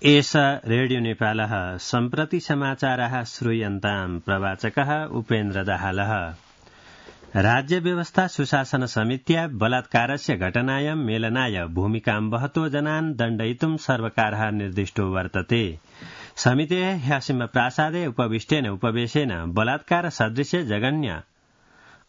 एष रेडियो नेपालः सम्प्रति समाचारः श्रूयन्ताम् प्रवाचकः उपेन्द्र दाहालः। राज्य व्यवस्था सुशासन समित्या बलात्कारस्य घटनायां मेलनाय भूमिकां वहतो जनान् दण्डयितुं सर्वकारः निर्दिष्टो वर्तते। समितेः ह्यसिम प्रासादे उपविष्टेन उपवेशेन बलात्कार सदृशे जघन्य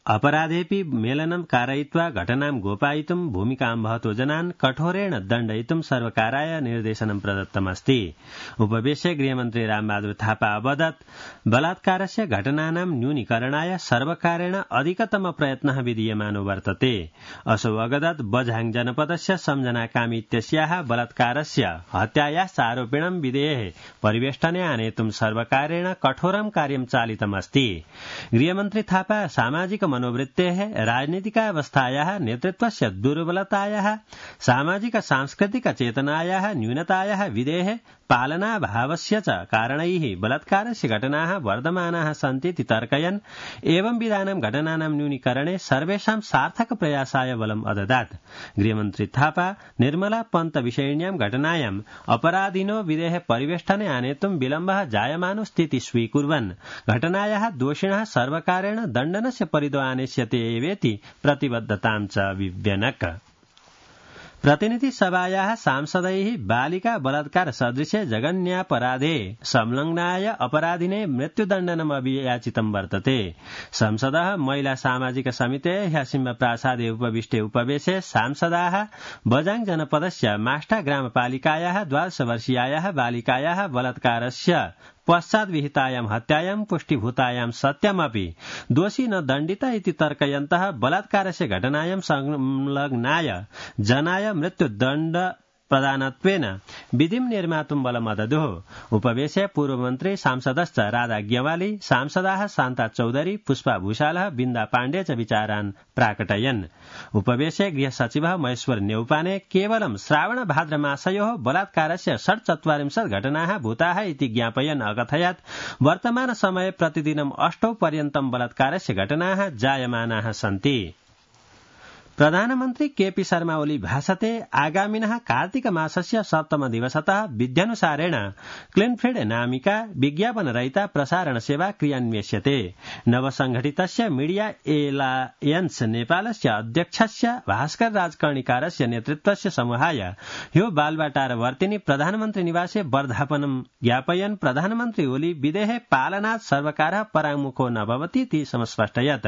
अपराधेऽपि मेलनं कारयित्वा घटनां गोपयितुं भूमिकां वहतो जनान् कठोरेण दण्डयितुं सर्वकाराय निर्देशनं प्रदत्तमस्ति। उपवेशे गृहमन्त्री रामबहादुर थापा अवदत् बलात्कारस्य घटनानां न्यूनीकरणाय सर्वकारेण अधिकतम प्रयत्नः विधीयमानो वर्तते। असौ अवगदत् बझाङ जनपदस्य सम्झना कामी इत्यस्याः बलात्कारस्य हत्यायाश्च आरोपिणं विधेयः परिवेष्टने आनेतुं सर्वकारेण कठोरं कार्यं चालितमस्ति। गृहमन्त्री थापा सामाजिक मनोवृत्तेः राजनीतिकावस्थायाः नेतृत्वस्य दुर्बलतायाः सामाजिक सांस्कृतिक चेतनायाः न्यूनतायाः विधेः पालनाभावस्य च कारणैः बलात्कारस्य घटनाः वर्धमानाः सन्तीति तर्कयन् एवं विधानां घटनानां न्यूनीकरणे सर्वेषां सार्थक प्रयासाय बलम् अददात्। गृहमन्त्री थापा निर्मला पन्त विषयिण्यां घटनायाम् अपराधिनो विधेः परिवेष्टने आनेतुं विलम्बः जायमानो स्थिति स्वीकुर्वन् घटनायाः दोषिणः सर्वकारेण दण्डनस्य परिधो आनेष्यते एवेति प्रतिबद्धतां च विव्यनक। प्रतिनिधि सभायाः सांसदैः बालिका बलात्कार सदृशे जघन्यापराधे संलग्नाय अपराधिने मृत्युदण्डनम् अभियाचितं वर्तते। संसदः महिला सामाजिक समितेः ह्यसिम प्रासादे उपविष्टे उपवेशे सांसदाः बझाङ जनपदस्य माष्टा ग्रामपालिकायाः 12 वर्षीयायाः बालिकायाः बलात्कारस्य पश्चात् विहितायां हत्यायां पुष्टिभूतायां सत्यमपि दोषी न दण्डिता इति तर्कयन्तः बलात्कारस्य घटनायां संलग्नाय जनाय मृत्युदण्ड प्रदानत्वेन विधिं निर्मातुं बलमददुः। उपवेशे पूर्वमन्त्री सांसदश्च राधा ग्यवाली, सांसदाः शान्ता चौधरी, पुष्पा भूषालः, बिन्दा पाण्डे च विचारान् प्राकटयन्। उपवेशे गृहसचिवः महेश्वर न्यौपाने केवलं श्रावण भाद्र मासयोः बलात्कारस्य 46 घटनाः भूताः इति ज्ञापयन् अकथयत् वर्तमान समये प्रतिदिनं 8 पर्यन्तं बलात्कारस्य घटनाः जायमानाः सन्ति। प्रधानमन्त्री केपी शर्मा ओली भाषते आगामिनः कार्तिक मासस्य 7 दिवसतः विध्यनुसारेण क्लिनफील्ड नामिका विज्ञापनरहिता प्रसारण सेवा क्रियान्विष्यते। नवसंघटितस्य मीडिया एलायन्स नेपालस्य अध्यक्षस्य भास्कर राजकर्णिकारस्य नेतृत्वस्य समूहाय ह्यो बालबाटार वर्तिनी प्रधानमन्त्री निवासे वर्धापनं ज्ञापयन् प्रधानमन्त्री ओली विधेः पालनात् सर्वकारः पराङ्मुखो न भवति इति समस्पष्टयत्।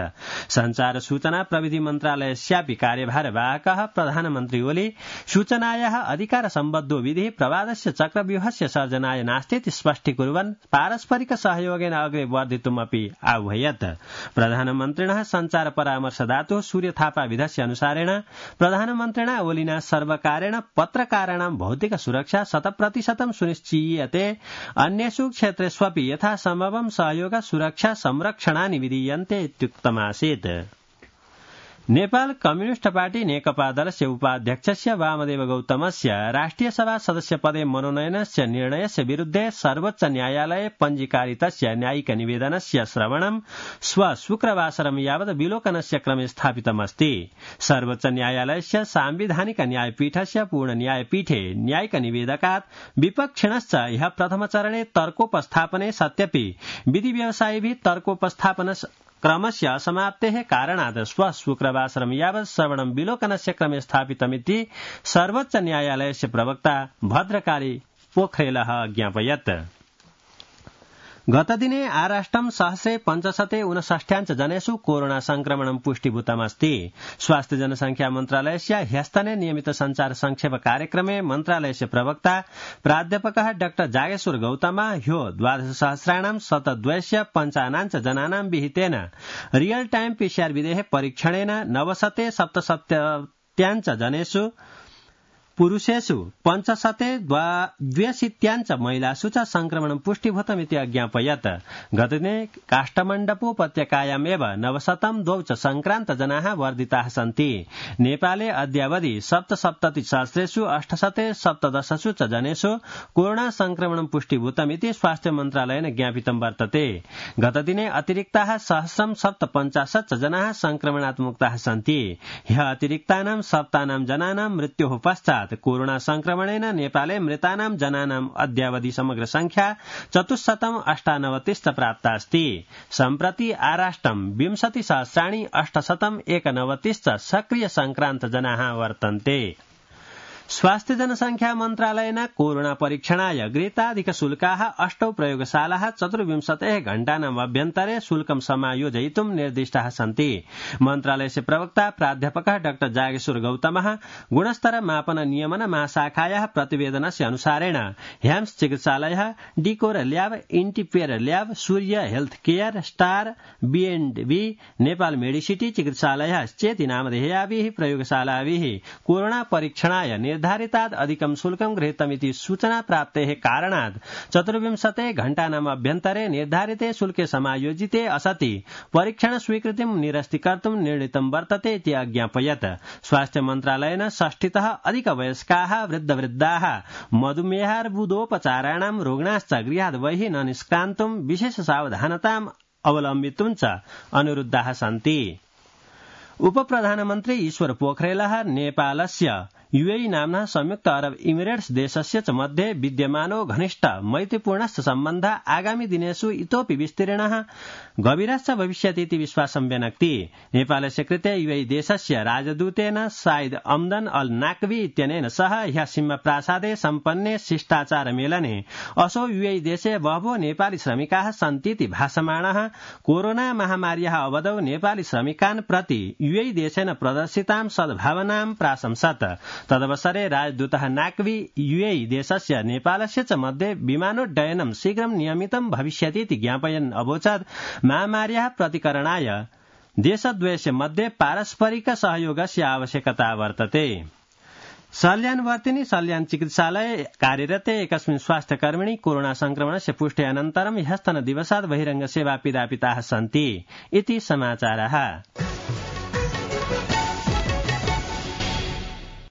संचार सूचना प्रविधि मन्त्रालयस्यापि कार्यभारवाहकः प्रधानमन्त्री ओली सूचनायाः अधिकार सम्बद्धो विधिः प्रवादस्य चक्रव्यूहस्य सर्जनाय नास्तीति स्पष्टीकुर्वन् पारस्परिक सहयोगेन अग्रे वर्धितुमपि आह्वयत्। प्रधानमन्त्रिणः संचार परामर्शदातुः सूर्य थापा विधस्य अनुसारेण प्रधानमन्त्रिणा ओलिना सर्वकारेण पत्रकाराणां भौतिक सुरक्षा 100% सुनिश्चीयते। अन्येषु क्षेत्रेष्वपि यथासम्भवं सहयोग सुरक्षा संरक्षणानि विधीयन्ते इत्युक्तमासीत्। नेपाल कम्युनिस्ट पार्टी नेकपा दलस्य उपाध्यक्षस्य वामदेव गौतमस्य राष्ट्रिय सभा सदस्य पदे मनोनयनस्य निर्णयस्य विरुद्धे सर्वोच्च न्यायालये पञ्जीकारितस्य न्यायिक निवेदनस्य श्रवणं शुक्रवासरं यावत् विलोकनस्य क्रमे स्थापितमस्ति। सर्वोच्च न्यायालयस्य सांविधानिक न्यायपीठस्य पूर्ण न्यायपीठे न्यायिक निवेदकात् विपक्षिणश्च ह्यः प्रथमचरणे तर्कोपस्थापने सत्यपि विधि व्यवसायिभिः तर्कोपस्थापन क्रमस्य असमाप्तेः कारणात् शुक्रवासरं यावत् श्रवणं विलोकनस्य क्रमे स्थापितमिति सर्वोच्च न्यायालयस्य प्रवक्ता भद्रकाली पोखरेलः ज्ञापयत्। गतदिने आराष्ट्रं 1,559 जनेषु कोरोना संक्रमणं पुष्टिभूतमस्ति। स्वास्थ्य जनसंख्या मन्त्रालयस्य ह्यस्तने नियमित संचार संक्षेप कार्यक्रमे मन्त्रालयस्य प्रवक्ता प्राध्यापकः डाक्टर जागेश्वर गौतमः ह्यो 12,000 जनानां विहितेन रियल टाइम पीसीआर विधेः परीक्षणेन 977 जनेषु पुरुषेषु 562 महिलासु च संक्रमणं पुष्टिभूतमिति अज्ञापयत्। गतदिने काष्ठमण्डपोपत्यकायामेव 902 संक्रान्त जनाः वर्धिताः सन्ति। नेपाले अद्यावधि 77 सहस्रेषु 817 च जनेषु कोरोना संक्रमणं पुष्टिभूतमिति स्वास्थ्य मन्त्रालयेन ज्ञापितं वर्तते। गतदिने अतिरिक्ताः 1,750 जनाः संक्रमणात् मुक्ताः सन्ति। ह्यः अतिरिक्तानां 7 जनानां मृत्योः पश्चात् प्राप्तात् कोरोना संक्रमणेन नेपाले मृतानां जनानां अद्यावधि समग्र संख्या 498 प्राप्तास्ति। सम्प्रति आराष्ट्रं 20,891 सक्रिय संक्रान्त जनाः वर्तन्ते। स्वास्थ्य जनसंख्या मन्त्रालयेन कोरोना परीक्षणाय गृहीताधिक शुल्काः 8 प्रयोगशालाः 24 घण्टानाम् अभ्यन्तरे शुल्कं समायोजयितुं निर्दिष्टाः सन्ति। मन्त्रालयस्य प्रवक्ता प्राध्यापकः डॉ जागेश्वर गौतमः गुणस्तर मापन नियमन महाशाखायाः प्रतिवेदनस्य अनुसारेण ह्याम्स चिकित्सालयः, डिकोर ल्याब, इन्टिपेयर lab, Surya health care, star, B&B, Nepal medicity चिकित्सालयः चेति नामधेयाभिः प्रयोगशालाभिः कोरोना परीक्षणाय निर्धारितात् अधिकं शुल्कं गृहीतमिति सूचना प्राप्तेः कारणात् 24 घण्टानाम् अभ्यन्तरे निर्धारिते शुल्के समायोजिते असति परीक्षण स्वीकृतिं निरस्तीकर्तुं निर्णीतं वर्तते इति अज्ञापयत्। स्वास्थ्य मन्त्रालयेन 60तः अधिकवयस्काः, वृद्धवृद्धाः, मधुमेहार्बुदोपचाराणां रोगिणश्च गृहात् बहिः न निष्क्रान्तुं विशेष सावधानताम् अवलम्बितुं च अनुरुद्धाः सन्ति। उपप्रधानमन्त्री ईश्वर पोखरेलः नेपालस्य UAE नाम्नः संयुक्त अरब इमिरेट्स देशस्य च मध्ये विद्यमानो घनिष्ठ मैत्रीपूर्णश्च सम्बन्धः आगामि दिनेषु इतोपि विस्तीर्णः गभीरश्च भविष्यति इति विश्वासं व्यनक्ति। नेपालस्य कृते UAE देशस्य राजदूतेन साइद अम्दन अल नाकवी इत्यनेन सह ह्यः सीमा प्रासादे सम्पन्ने शिष्टाचार मेलने असौ UAE देशे बहवो नेपाली श्रमिकाः सन्तीति भासमाणः कोरोना महामार्याः अवधौ नेपाली श्रमिकान् प्रति UAE देशेन प्रदर्शितां सद्भावनां प्राशंसत्। तदवसरे राजदूतः नाकवी UAE देशस्य नेपालस्य च मध्ये विमानोड्डयनं शीघ्रं नियमितं भविष्यति इति ज्ञापयन् अवोचत् महामार्याः प्रतिकरणाय देशद्वयस्य मध्ये पारस्परिक सहयोगस्य आवश्यकता वर्तते। सल्यानवर्तिनी सल्यान चिकित्सालये कार्यरते एकस्मिन् स्वास्थ्यकर्मिणी कोरोना संक्रमणस्य पुष्टे अनन्तरं ह्यस्तनदिवसात् बहिरङ्ग सेवा पिधापिताः सन्ति इति समाचारः।